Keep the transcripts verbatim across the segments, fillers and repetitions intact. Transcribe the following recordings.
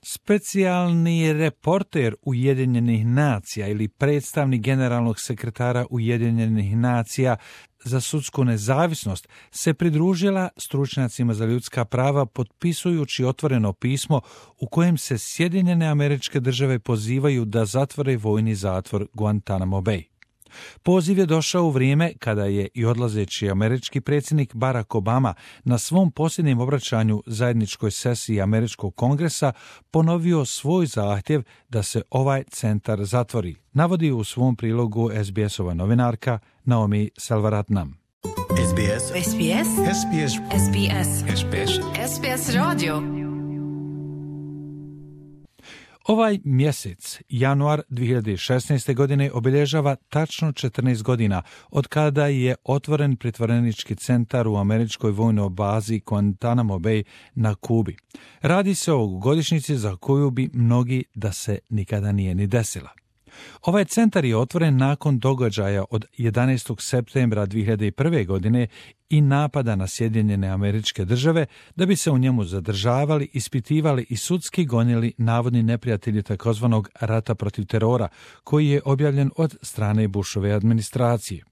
Specijalni reporter Ujedinjenih nacija ili predstavnik generalnog sekretara Ujedinjenih nacija za sudsku nezavisnost se pridružila stručnjacima za ljudska prava potpisujući otvoreno pismo u kojem se Sjedinjene Američke Države pozivaju da zatvore vojni zatvor Guantanamo Bay. Poziv je došao u vrijeme kada je i odlazeći američki predsjednik Barack Obama na svom posljednjem obraćanju zajedničkoj sesiji Američkog kongresa ponovio svoj zahtjev da se ovaj centar zatvori, navodi u svom prilogu es be es-ova novinarka Naomi Selvaratnam. es be es. es be es. es be es. es be es. es be es. es be es radio. Ovaj mjesec, januar dvije hiljade šesnaeste. godine, obilježava tačno četrnaest godina od kada je otvoren pritvorenički centar u američkoj vojnoj bazi Guantanamo Bay na Kubi. Radi se o godišnjici za koju bi mnogi da se nikada nije ni desila. Ovaj centar je otvoren nakon događaja od jedanaestog septembra dvije hiljade prve. godine i napada na Sjedinjene Američke Države da bi se u njemu zadržavali, ispitivali i sudski gonili navodni neprijatelji takozvanog rata protiv terora, koji je objavljen od strane Bushove administracije.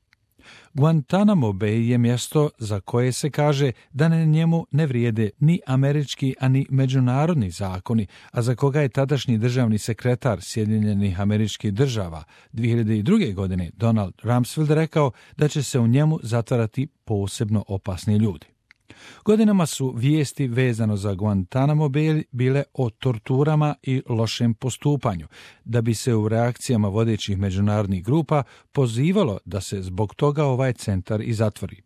Guantanamo Bay je mjesto za koje se kaže da na njemu ne vrijede ni američki, ani međunarodni zakoni, a za koga je tadašnji državni sekretar Sjedinjenih Američkih Država dvije hiljade druge. godine Donald Rumsfeld rekao da će se u njemu zatvarati posebno opasni ljudi. Godinama su vijesti vezano za Guantanamo Bay bile o torturama i lošem postupanju, da bi se u reakcijama vodećih međunarodnih grupa pozivalo da se zbog toga ovaj centar i zatvori.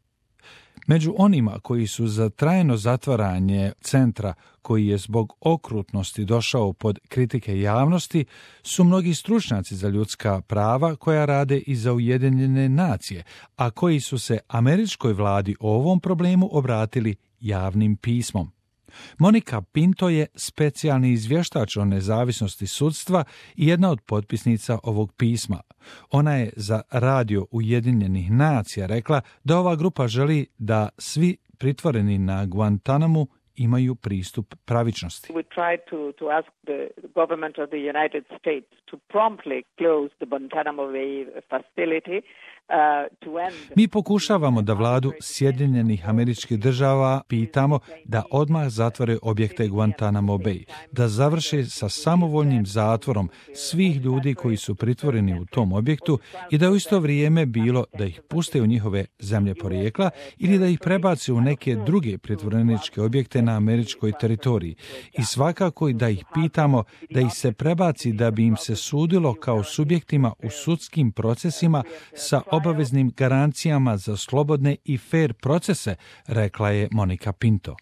Među onima koji su za trajno zatvaranje centra, koji je zbog okrutnosti došao pod kritike javnosti, su mnogi stručnjaci za ljudska prava koja rade i za Ujedinjene nacije, a koji su se američkoj vladi o ovom problemu obratili javnim pismom. Monika Pinto je specijalni izvještač o nezavisnosti sudstva i jedna od potpisnica ovog pisma. Ona je za radio Ujedinjenih nacija rekla da ova grupa želi da svi pritvoreni na Guantanamu imaju pristup pravičnosti. We tried to, to ask the government of the United States to promptly close the Guantanamo Bay facility. Mi pokušavamo da vladu Sjedinjenih Američkih Država pitamo da odmah zatvore objekte Guantanamo Bay, da završe sa samovoljnim zatvorom svih ljudi koji su pritvoreni u tom objektu i da u isto vrijeme bilo da ih puste u njihove zemlje porijekla ili da ih prebace u neke druge pritvoreničke objekte na američkoj teritoriji. I svakako da ih pitamo da ih se prebaci da bi im se sudilo kao subjektima u sudskim procesima sa obaveznim garancijama za slobodne i fair procese, rekla je Monika Pinto.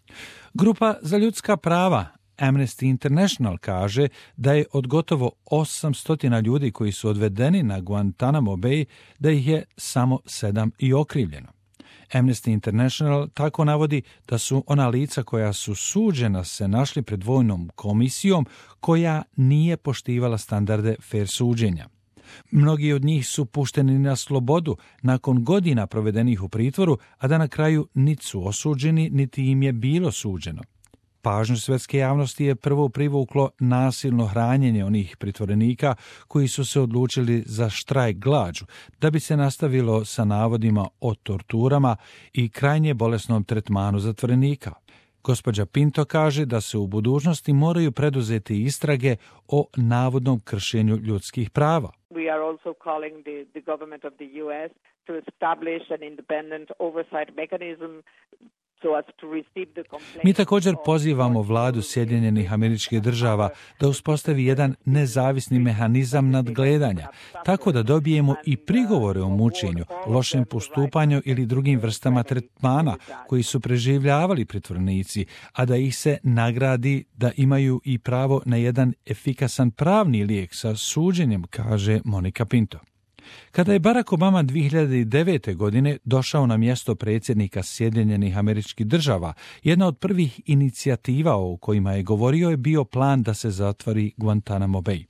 Grupa za ljudska prava Amnesty International kaže da je od gotovo osamsto ljudi koji su odvedeni na Guantanamo Bay, da ih je samo sedam i okrivljeno. Amnesty International tako navodi da su ona lica koja su suđena se našli pred vojnom komisijom koja nije poštivala standarde fair suđenja. Mnogi od njih su pušteni na slobodu nakon godina provedenih u pritvoru, a da na kraju niti su osuđeni, niti im je bilo suđeno. Pažnju svjetske javnosti je prvo privuklo nasilno hranjenje onih pritvorenika koji su se odlučili za štrajk glađu, da bi se nastavilo sa navodima o torturama i krajnje bolesnom tretmanu zatvorenika. Gospođa Pinto kaže da se u budućnosti moraju preduzeti istrage o navodnom kršenju ljudskih prava. We are also calling the, the government of the U S to establish an independent oversight mechanism. Mi također pozivamo vladu Sjedinjenih Američkih Država da uspostavi jedan nezavisni mehanizam nadgledanja, tako da dobijemo i prigovore o mučenju, lošem postupanju ili drugim vrstama tretmana koji su preživljavali pritvorenici, a da ih se nagradi da imaju i pravo na jedan efikasan pravni lijek sa suđenjem, kaže Monika Pinto. Kada je Barack Obama dvije hiljade devete. godine došao na mjesto predsjednika Sjedinjenih Američkih Država, jedna od prvih inicijativa o kojima je govorio je bio plan da se zatvori Guantanamo Bay.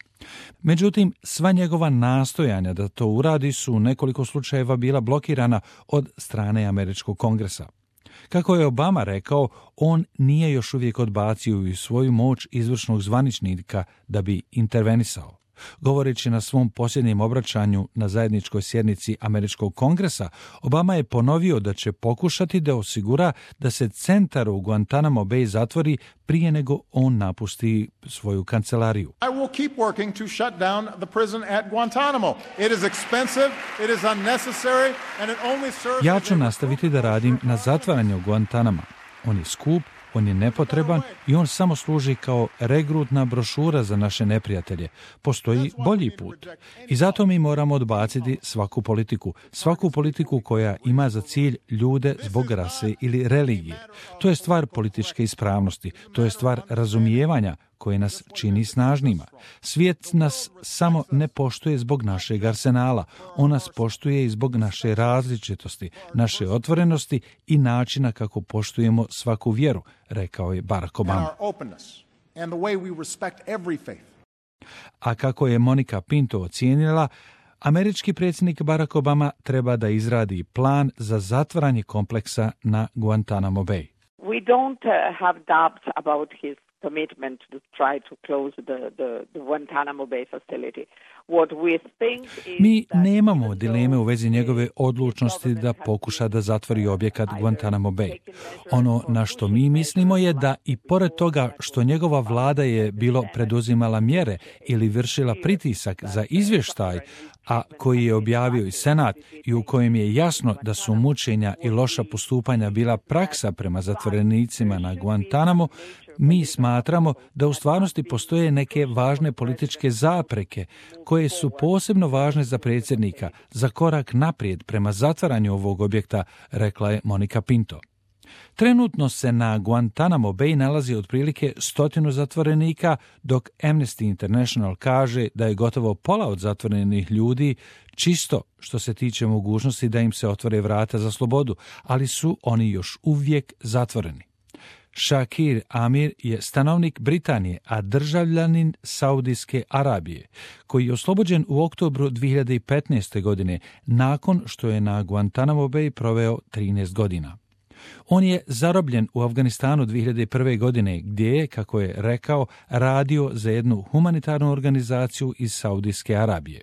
Međutim, sva njegova nastojanja da to uradi su u nekoliko slučajeva bila blokirana od strane Američkog kongresa. Kako je Obama rekao, on nije još uvijek odbacio i svoju moć izvršnog zvaničnika da bi intervenisao. Govoreći na svom posljednjem obraćanju na zajedničkoj sjednici Američkog kongresa, Obama je ponovio da će pokušati da osigura da se centar u Guantanamo Bay zatvori prije nego on napusti svoju kancelariju. I will keep working to shut down the prison at Guantanamo. It is expensive, it is unnecessary, and it only serves... Ja ću nastaviti da radim na zatvaranju Guantanama. On je skup, on je nepotreban i on samo služi kao regrutna brošura za naše neprijatelje. Postoji bolji put. I zato mi moramo odbaciti svaku politiku. Svaku politiku koja ima za cilj ljude zbog rase ili religije. To je stvar političke ispravnosti. To je stvar razumijevanja koje nas čini snažnima. Svijet nas samo ne poštuje zbog našeg arsenala. On nas poštuje i zbog naše različitosti, naše otvorenosti i načina kako poštujemo svaku vjeru, rekao je Barack Obama. A kako je Monica Pinto ocijenila, američki predsjednik Barack Obama treba da izradi plan za zatvaranje kompleksa na Guantanamo Bay. We don't uh, have doubts about his commitment to try to close the, the, the Guantanamo Bay facility. What we think is Mi nemamo dileme u vezi njegove odlučnosti da pokuša da zatvori objekat Guantanamo Bay. Ono na što mi mislimo je da i pored toga što njegova vlada je bilo preduzimala mjere ili vršila pritisak za izvještaj, a koji je objavio i Senat i u kojem je jasno da su mučenja i loša postupanja bila praksa prema zatvorenicima na Guantanamo, mi smatramo da u stvarnosti postoje neke važne političke zapreke koje su posebno važne za predsjednika, za korak naprijed prema zatvaranju ovog objekta, rekla je Monica Pinto. Trenutno se na Guantanamo Bay nalazi otprilike stotinu zatvorenika, dok Amnesty International kaže da je gotovo pola od zatvorenih ljudi čisto što se tiče mogućnosti da im se otvore vrata za slobodu, ali su oni još uvijek zatvoreni. Shakir Amir je stanovnik Britanije, a državljanin Saudijske Arabije, koji je oslobođen u oktobru dvije hiljade petnaeste. godine, nakon što je na Guantanamo Bay proveo trinaest godina. On je zarobljen u Afganistanu dvije hiljade prve. godine, gdje je, kako je rekao, radio za jednu humanitarnu organizaciju iz Saudijske Arabije.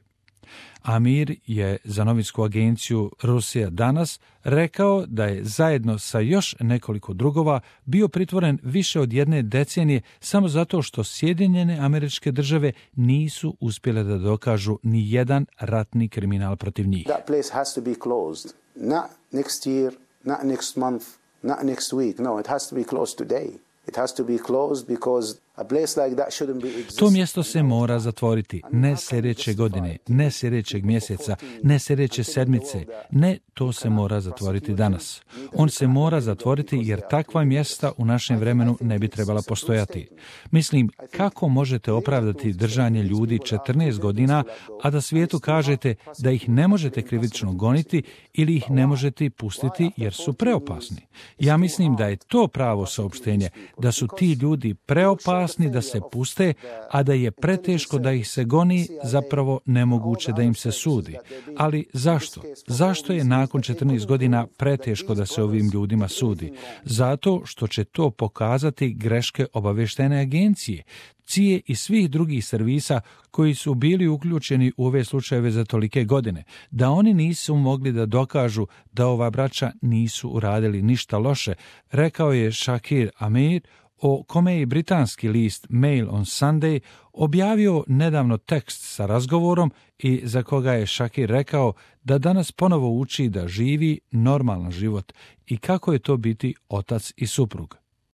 Amir je za novinsku agenciju Rusija danas rekao da je zajedno sa još nekoliko drugova bio pritvoren više od jedne decenije samo zato što Sjedinjene Američke Države nisu uspjele da dokažu ni jedan ratni kriminal protiv njih. That place has to be closed. Not next year, not next month, not next week. No, it has to be closed today. It has to be closed because a place like that shouldn't be existing. To mjesto se mora zatvoriti, ne sljedeće godine, ne sljedećeg mjeseca, ne sljedeće sedmice, ne, to se mora zatvoriti danas. On se mora zatvoriti jer takva mjesta u našem vremenu ne bi trebala postojati. Mislim, kako možete opravdati držanje ljudi četrnaest godina, a da svijetu kažete da ih ne možete krivično goniti ili ih ne možete pustiti jer su preopasni. Ja mislim da je to pravo saopštenje, da su ti ljudi preopasni da se puste, a da je preteško da ih se goni, zapravo nemoguće da im se sudi. Ali zašto? Zašto je nakon četrnaest godina preteško da se ovim ljudima sudi? Zato što će to pokazati greške obavještajne agencije, C I A i svih drugih servisa koji su bili uključeni u ove slučajeve za tolike godine, da oni nisu mogli da dokažu da ova braća nisu uradili ništa loše, rekao je Shakir Amir, o kome je britanski list Mail on Sunday objavio nedavno tekst sa razgovorom i za koga je Shakir rekao da danas ponovo uči da živi normalan život i kako je to biti otac i suprug.